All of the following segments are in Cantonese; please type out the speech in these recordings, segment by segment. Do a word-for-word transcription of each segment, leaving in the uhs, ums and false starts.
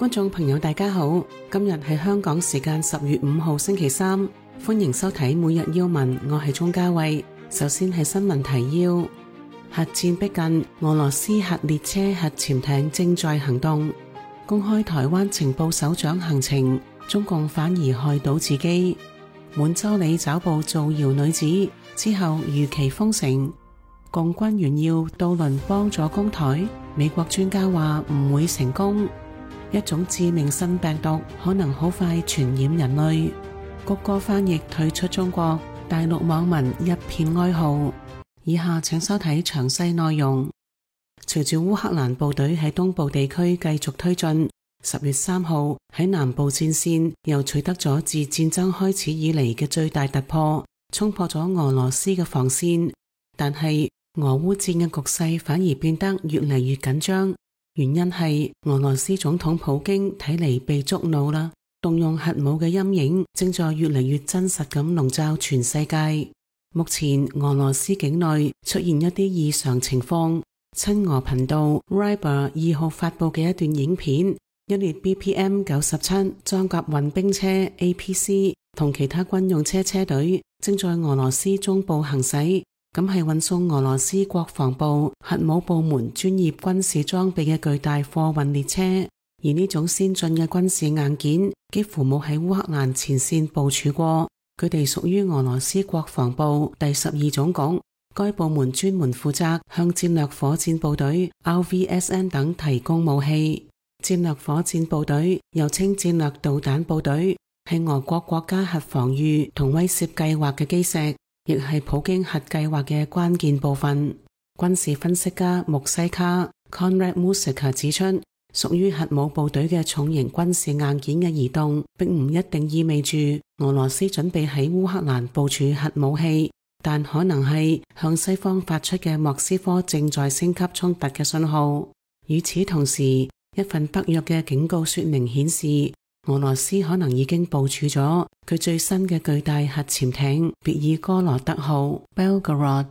觀眾朋友大家好，今日係香港時間十月五號星期三，歡迎收睇每日要聞，我係鍾嘉慧。首先係新聞提要：核戰逼近，俄羅斯核列車、核潛艇正在行動。公開台灣情報首長行程，中共反而害到自己。滿洲里抓捕造謠女子之後如期封城。共軍炫耀渡輪幫助攻台，美國專家話唔會成功。一種致命新病毒可能好快傳染人類。谷歌翻譯退出中國，大陸網民一片哀號。以下請收睇詳細內容。隨住烏克蘭部隊喺東部地區繼續推進，十月三號喺南部戰線又取得咗自戰爭開始以嚟嘅最大突破，衝破咗俄羅斯嘅防線。但係俄烏戰嘅局勢反而變得越嚟越緊張。原因係俄羅斯總統普京睇嚟被觸怒啦，動用核武嘅陰影正在越嚟越真實咁籠罩全世界。目前俄羅斯境內出現一啲異常情況，親俄頻道 Ryber 二號發佈嘅一段影片，一列 B P M 九十七裝甲運兵車 A P C 同其他軍用車車隊正在俄羅斯中部行駛。咁係運送俄羅斯國防部核武部門專業軍事裝備嘅巨大貨運列車，而呢種先進嘅軍事硬件幾乎冇喺烏克蘭前線部署過。佢哋屬於俄羅斯國防部第十二總局，該部門專門負責向戰略火箭部隊 R V S N 等提供武器。戰略火箭部隊又稱戰略導彈部隊，係俄國國家核防禦同威懾計劃嘅基石，亦係普京核計劃嘅關鍵部分。軍事分析家穆西卡 Conrad Musika 指出，屬於核武部隊嘅重型軍事硬件嘅移動，並唔一定意味住俄羅斯準備喺烏克蘭部署核武器，但可能係向西方發出嘅莫斯科正在升級衝突嘅信號。與此同時，一份北約嘅警告說明顯示，俄羅斯可能已經部署咗佢最新嘅巨大核潛艇別爾哥羅德號 Belgorod。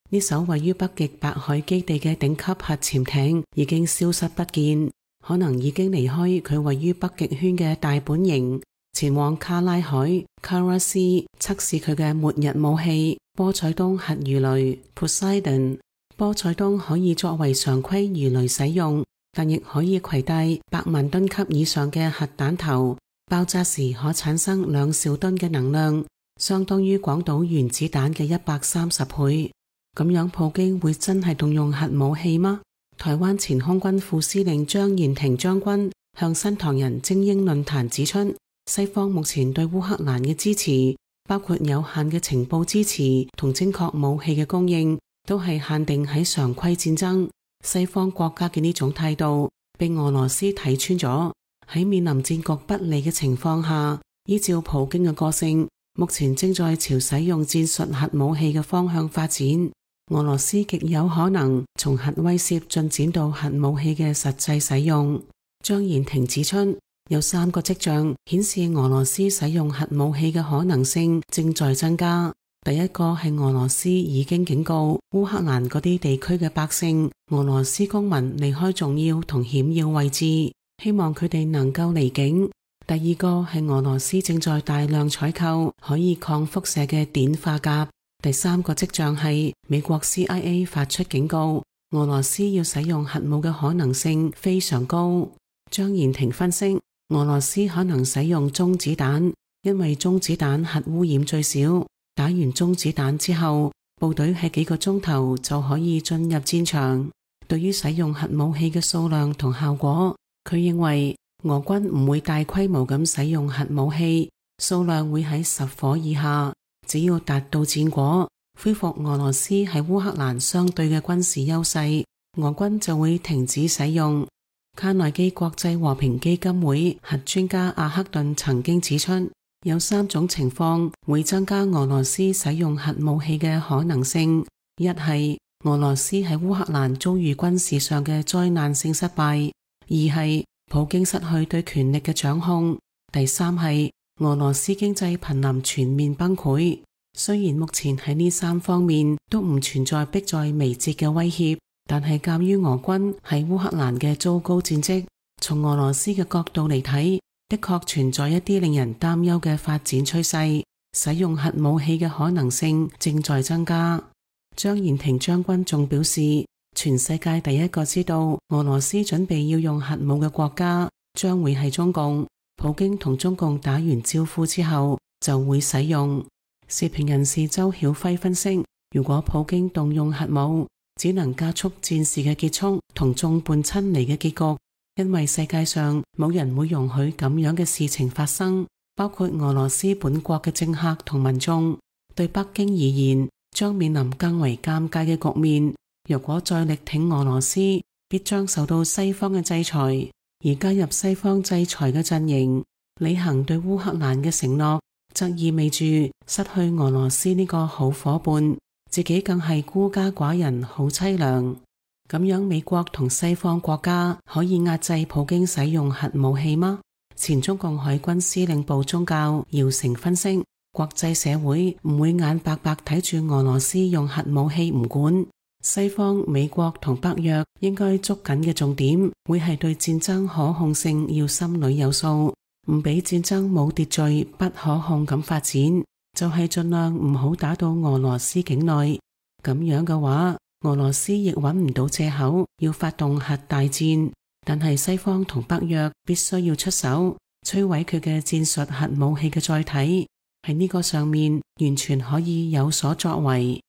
呢艘位於北極白海基地嘅頂級核潛艇已經消失不見，可能已經離開佢位於北極圈嘅大本營，前往卡拉海 Kara-C 測試佢嘅末日武器波塞冬核魚雷 Poseidon。 波塞冬可以作為常規魚雷使用，但亦可以攜帶百萬噸級以上嘅核彈頭，爆炸時可產生兩兆噸嘅能量，相當於廣島原子彈嘅一百三十倍。咁樣普京會真係動用核武器嗎？台灣前空軍副司令張延廷將軍向新唐人精英論壇指出，西方目前對烏克蘭嘅支持，包括有限嘅情報支持同精確武器嘅供應，都係限定喺常規戰爭。西方國家嘅呢種態度被俄羅斯睇穿咗，喺面臨戰局不利嘅情況下，依照普京嘅個性，目前正在朝使用戰術核武器嘅方向發展。俄羅斯極有可能從核威懾進展到核武器嘅實際使用。張延廷指出，有三個跡象顯示俄羅斯使用核武器嘅可能性正在增加。第一個係俄羅斯已經警告烏克蘭嗰啲地區嘅百姓，俄羅斯公民離開重要同險要位置，希望佢哋能夠離境。第二個係俄羅斯正在大量採購可以抗輻射嘅碘化鉀。第三個跡象係美國 C I A 發出警告，俄羅斯要使用核武嘅可能性非常高。張延廷分析，俄羅斯可能使用中子彈，因為中子彈核污染最少。打完中子彈之後，部隊喺幾個鐘頭就可以進入戰場。對於使用核武器嘅數量同效果，佢認為俄軍唔會大規模咁使用核武器，數量會喺十顆以下。只要達到戰果，恢復俄羅斯喺烏克蘭相對嘅軍事優勢，俄軍就會停止使用。卡內基國際和平基金會核專家阿克頓曾經指出，有三種情況會增加俄羅斯使用核武器嘅可能性：一係俄羅斯喺烏克蘭遭遇軍事上嘅災難性失敗；二係普京失去對權力嘅掌控；第三係俄羅斯經濟瀕臨全面崩潰。雖然目前喺呢三方面都唔存在迫在眉睫嘅威脅，但係鑒於俄軍喺烏克蘭嘅糟糕戰績，從俄羅斯嘅角度嚟睇，的確存在一啲令人擔憂嘅發展趨勢，使用核武器嘅可能性正在增加。張延廷將軍仲表示，全世界第一個知道俄羅斯準備要用核武嘅國家將會係中共，普京同中共打完招呼之後就會使用。時評人士周曉輝分析，如果普京動用核武，只能加速戰事嘅結束同眾叛親離嘅結局，因為世界上冇人會容許咁樣嘅事情發生，包括俄羅斯本國嘅政客同民眾。對北京而言，將面臨更為尷尬嘅局面。若果再力挺俄羅斯，必將受到西方嘅制裁，而加入西方制裁嘅陣營，履行對烏克蘭嘅承諾，則意味住失去俄羅斯呢個好夥伴，自己更係孤家寡人，好淒涼。咁樣美國同西方國家可以壓制普京使用核武器嗎？前中共海軍司令部中校姚成分析，國際社會唔會眼白白睇住俄羅斯用核武器唔管，西方美國同北約應該捉緊嘅重點會係對戰爭可控性要心裏有數，唔俾戰爭冇秩序不可控咁發展，就係盡量唔好打到俄羅斯境內。咁樣嘅話，俄羅斯亦揾唔到借口要發動核大戰，但係西方同北約必須要出手摧毀佢嘅戰術核武器嘅載體，喺呢個上面完全可以有所作為。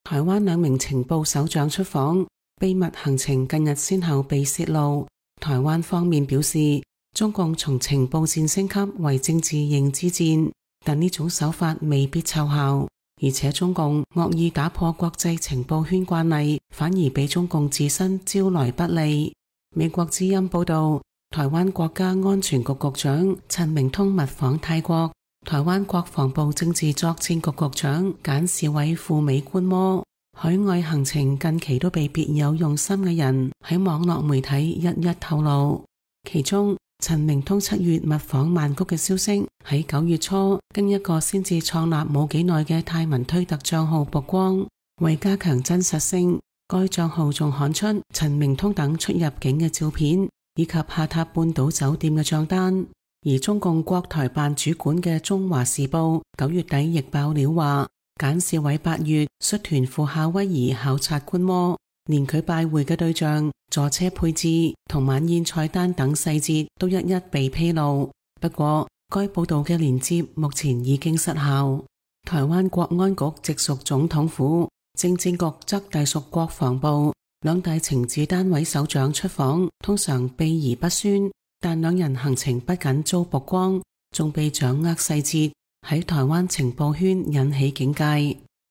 台灣兩名情報首長出訪，秘密行程近日先後被泄露。台灣方面表示，中共從情報戰升級為政治認知戰，但呢種手法未必奏效，而且中共惡意打破國際情報圈慣例，反而俾中共自身招來不利。美國之音報道，台灣國家安全局局長陳明通密訪泰國，台灣國防部政治作戰局局長簡士偉赴美觀摩。海外行程近期都被別有用心嘅人喺網絡媒體一一透露，其中陳明通七月密訪曼谷嘅消息喺九月初經一個先至創立冇幾耐嘅泰文推特賬號曝光，為加強真實性，該賬號仲刊出陳明通等出入境嘅照片，以及下榻半島酒店嘅賬單。而中共國台辦主管嘅中華時報九月底亦爆料話，簡士偉八月率團赴夏威夷考察觀摩，連佢拜會嘅對象、坐車配置同晚宴菜單等細節都一一被披露。不過該報道嘅連接目前已經失效。台灣國安局直屬總統府，政治局則隸屬國防部，兩大情治單位首長出訪通常秘而不宣，但兩人行程不僅遭曝光，仲被掌握細節，喺台灣情報圈引起警戒。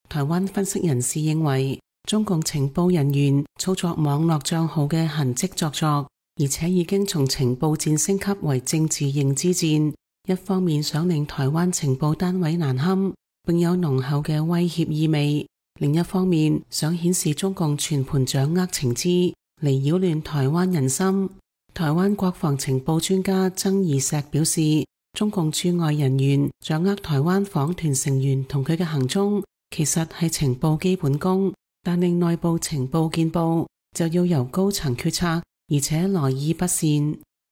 台灣分析人士認為，中共情報人員操作網絡賬號嘅痕跡作作，而且已經從情報戰升級為政治認知戰，一方面想令台灣情報單位難堪，並有濃厚嘅威脅意味，另一方面想顯示中共全盤掌握情資，嚟擾亂台灣人心。台灣國防情報專家曾義石表示，中共駐外人員掌握台灣訪團成員同佢嘅行蹤，其實係情報基本功，但令內部情報見報就要由高層決策，而且來意不善。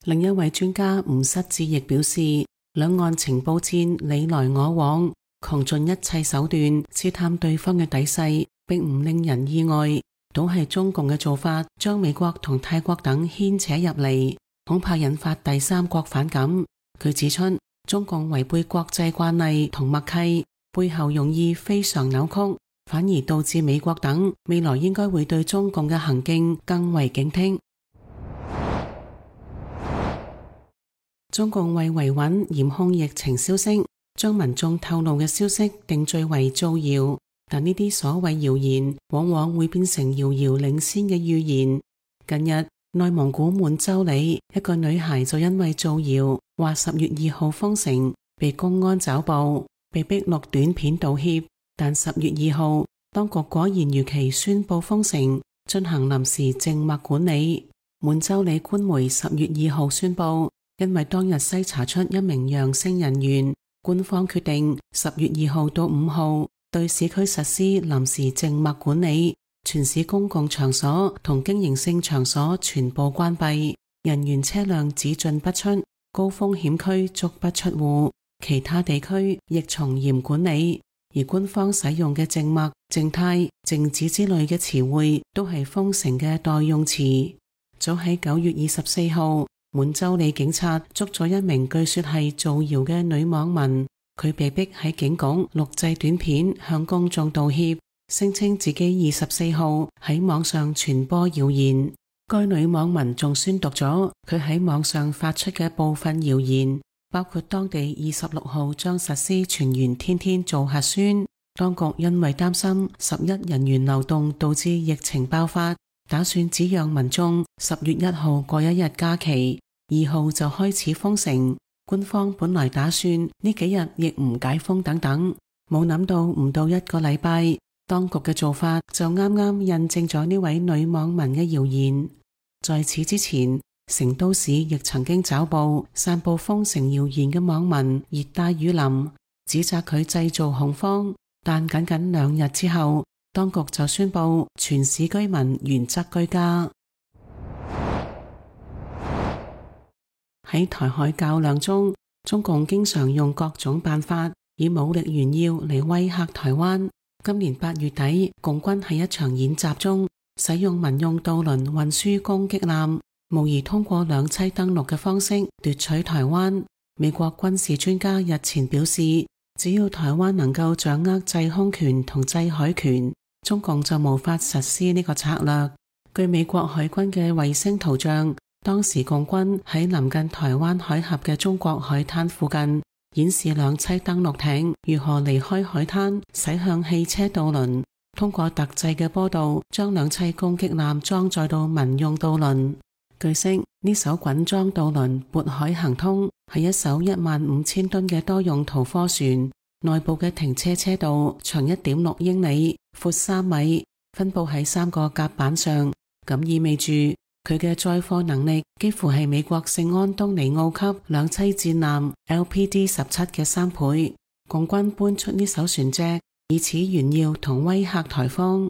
另一位專家吳失志亦表示，兩岸情報戰你來我往，窮盡一切手段試探對方嘅底細，並唔令人意外。倒係中共嘅做法，將美國同泰國等牽扯入嚟，恐怕引發第三國反感。佢指出，中共違背國際慣例同默契，背後用意非常扭曲，反而導致美國等未來應該會對中共嘅行徑更為警惕。中共為維穩嚴控疫情消息，將民眾透露嘅消息定罪為造謠。但呢啲所謂謠言往往會變成遙遙領先嘅預言。近日內蒙古滿洲里一個女孩就因為造謠話十月二號封城，被公安抓捕，被逼錄短片道歉。但十月二號當局果然如期宣布封城，進行臨時靜默管理。滿洲里官媒十月二號宣布，因為當日篩查出一名陽性人員，官方決定十月二號到五號對市區實施臨時靜默管理，全市公共場所同經營性場所全部關閉，人員車輛只進不出，高風險區足不出戶，其他地區亦從嚴管理。而官方使用嘅靜默、靜態、靜止之類嘅詞彙都係封城嘅代用詞。早喺九月二十四號，滿洲里警察捉咗一名據說係造謠嘅女網民，佢被逼喺警局錄製短片向公眾道歉，聲稱自己二十四號喺網上傳播謠言。該女網民仲宣讀咗佢喺網上發出嘅部分謠言，包括當地二十六號將實施全員天天做核酸，當局因為擔心十一人員流動導致疫情爆發，打算只讓民眾十月一號過一日假期，二號就開始封城。官方本來打算呢幾日亦唔解封等等，冇諗到唔到一個禮拜，當局嘅做法就啱啱印證咗呢位女網民嘅謠言。在此之前，成都市亦曾經抓捕散布封城謠言嘅網民熱帶雨林，指責佢製造恐慌，但僅僅兩日之後，當局就宣布全市居民原則居家。喺台海較量中，中共經常用各種辦法以武力炫耀嚟威嚇台灣。今年八月底，共軍喺一場演習中使用民用渡輪運輸攻擊艦，無疑通過兩棲登陸嘅方式奪取台灣。美國軍事專家日前表示，只要台灣能夠掌握制空權同制海權，中共就無法實施呢個策略。據美國海軍嘅衛星圖像，當時共軍喺臨近台灣海峽嘅中國海灘附近，演示兩棲登陸艇如何離開海灘駛向汽車渡輪，通過特製嘅坡道將兩棲攻擊艦裝載到民用渡輪。據悉，呢艘滾裝渡輪渤海行通，係一艘一萬五千噸嘅多用途貨船，內部嘅停車車道長一點六英里，闊三米，分布喺三個甲板上，咁意味住佢嘅載貨能力幾乎係美國聖安東尼奧級兩棲戰艦 L P D 十七嘅三倍。共軍搬出呢艘船隻，以此炫耀同威嚇台方。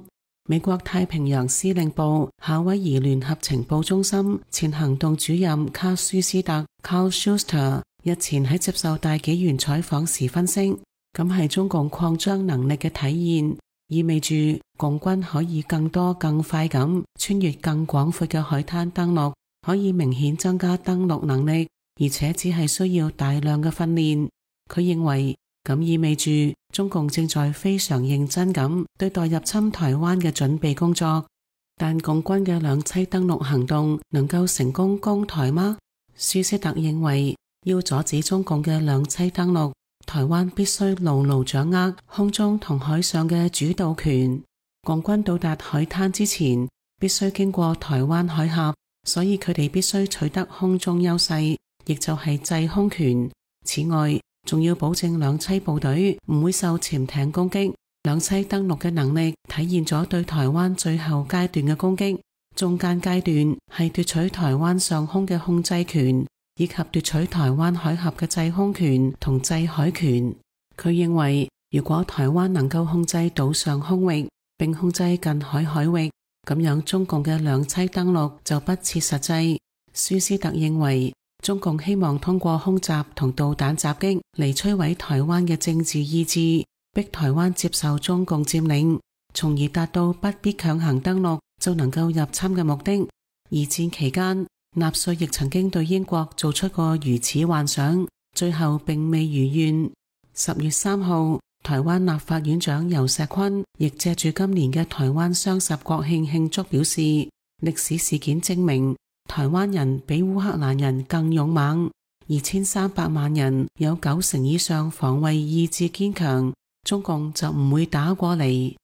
美國太平洋司令部夏威夷聯合情報中心前行動主任卡舒斯特 Carl Schuster 日前喺接受大紀元採訪時分析，咁係中共擴張能力嘅體現，意味住共軍可以更多更快咁穿越更廣闊嘅海灘登陸，可以明顯增加登陸能力，而且只係需要大量嘅訓練。佢認為咁意味住中共正在非常認真咁對待入侵台灣嘅準備工作。但共軍嘅兩棲登陸行動能夠成功攻台嗎？舒斯特認為，要阻止中共嘅兩棲登陸，台灣必須牢牢掌握空中同海上嘅主導權。共軍到達海灘之前，必須經過台灣海峽，所以佢哋必須取得空中優勢，亦就係制空權。此外，仲要保證兩棲部隊唔會受潛艇攻擊。兩棲登陸嘅能力體現咗對台灣最後階段嘅攻擊，中間階段係奪取台灣上空嘅控制權，以及奪取台灣海峽嘅制空權同制海權。佢認為，如果台灣能夠控制島上空域，並控制近海海域，咁樣中共嘅兩棲登陸就不切實際。舒斯特認為，中共希望通過空襲同導彈襲擊嚟摧毀台灣嘅政治意志，逼台灣接受中共佔領，從而達到不必強行登陸就能夠入侵嘅目的。二戰期間，納粹亦曾經對英國做出過如此幻想，最後並未如願。十月三號，台灣立法院長游錫堃亦借住今年嘅台灣雙十國慶慶祝表示，歷史事件證明台灣人比烏克蘭人更勇猛，二千三百萬人有九成以上防衛意志堅強，中共就唔會打過嚟。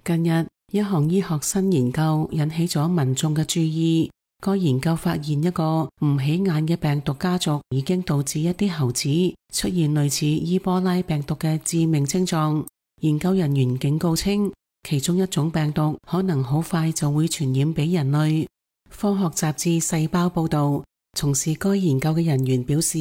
近日，一項醫學新研究引起咗民眾嘅注意。該研究發現一個唔起眼嘅病毒家族已經導致一啲猴子出現類似伊波拉病毒嘅致命症狀。研究人員警告稱，其中一種病毒可能好快就會傳染俾人類。科學雜誌細胞報道，從事該研究嘅人員表示，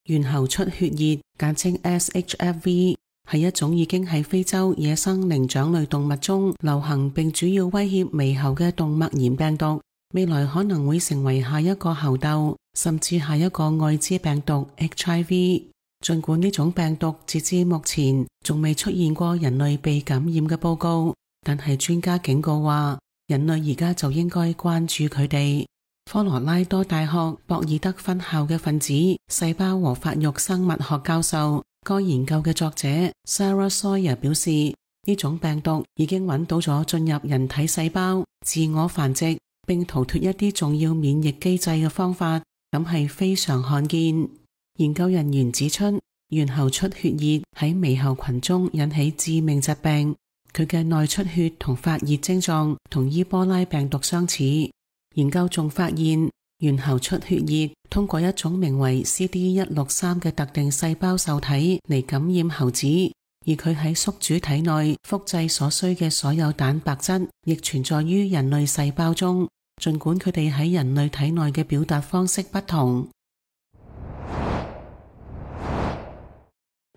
猿猴出血熱，簡稱 S H F V，係一種已經喺非洲野生靈長類動物中流行並主要威脅獼猴嘅動脈炎病毒，未來可能會成為下一個猴痘，甚至下一個愛滋病毒 H I V。 儘管呢種病毒截至目前仲未出現過人類被感染嘅報告，但係專家警告話，人類而家就應該關注佢哋。科羅拉多大學博爾德分校嘅分子細胞和發育生物學教授，該研究嘅作者 Sarah Sawyer 表示，呢種病毒已經揾到咗進入人體細胞、自我繁殖並逃脫一啲重要免疫機制嘅方法，咁係非常罕見。研究人員指出，猿猴出血熱喺獼猴群中引起致命疾病，佢嘅內出血同發熱症狀同伊波拉病毒相似。研究仲發現，猿猴出血熱通過一種名為 C D 一六三 嘅特定細胞受體嚟感染猴子，而佢喺宿主體內複製所需嘅所有蛋白質亦存在於人類細胞中，儘管佢哋喺人類體內嘅表達方式不同。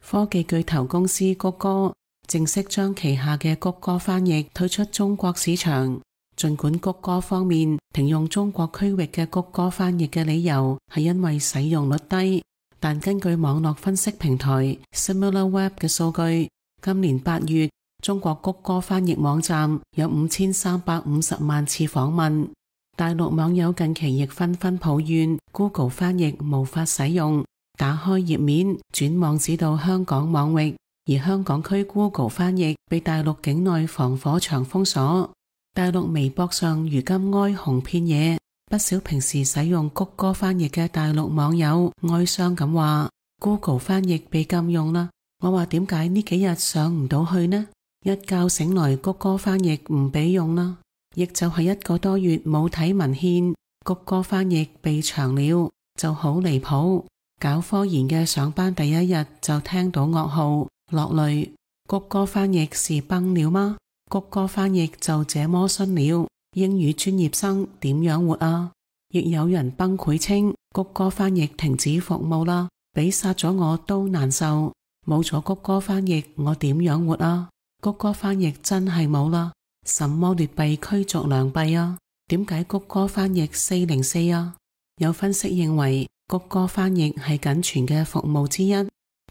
科技巨頭公司谷歌正式將旗下嘅谷歌翻譯推出中國市場。儘管谷歌方面停用中國區域嘅谷歌翻譯嘅理由係因為使用率低，但根據網絡分析平台 SimilarWeb 嘅數據，今年八月中國谷歌翻譯網站有五千三百五十萬次訪問。大陸網友近期亦紛紛抱怨 Google 翻譯無法使用，打開頁面轉網址到香港網域，而香港區 Google 翻譯被大陸境內防火牆封鎖。大陸微博上如今哀鴻遍野，不少平時使用谷歌翻譯嘅大陸網友哀傷咁話 Google 翻譯被禁用啦。我話點解呢幾日上唔到去呢？一覺醒來谷歌翻譯唔俾用啦，亦就係一個多月冇睇文獻，谷歌翻譯被長了，就好離譜。搞科研嘅上班第一日就聽到噩耗，落淚。谷歌翻譯是崩了嗎？谷歌翻譯就這麼遜了，英語專業生點樣活啊？亦有人崩潰稱谷歌翻譯停止服務啦，比殺咗我都難受。冇咗谷歌翻譯我點樣活啊？谷歌翻譯真係冇啦，什麼劣幣驅逐良幣啊？點解谷歌翻譯四零四啊？有分析認為谷歌翻譯係僅存嘅服務之一，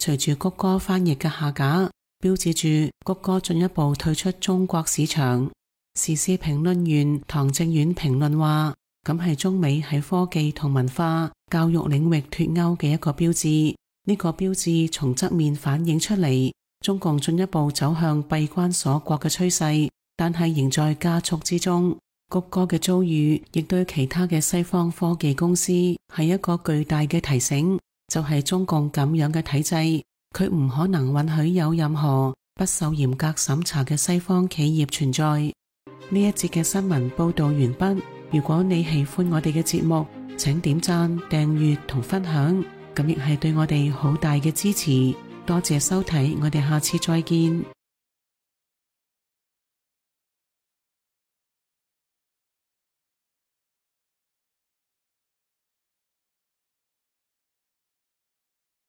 隨住谷歌翻譯嘅下架，標誌住谷歌進一步退出中國市場。時事評論員唐正遠評論話，咁係中美喺科技同文化、教育領域脫鈎嘅一個標誌。呢、這個標誌從側面反映出嚟，中共進一步走向閉關鎖國嘅趨勢，但係仍在加速之中。谷歌嘅遭遇亦對其他嘅西方科技公司係一個巨大嘅提醒，就係、是、中共咁樣嘅體制，佢唔可能允許有任何不受嚴格審查嘅西方企業存在。呢一節嘅新聞報道完畢。如果你喜歡我哋嘅節目，請點讚、訂閱同分享，咁亦係對我哋好大嘅支持。多謝收睇，我哋下次再見。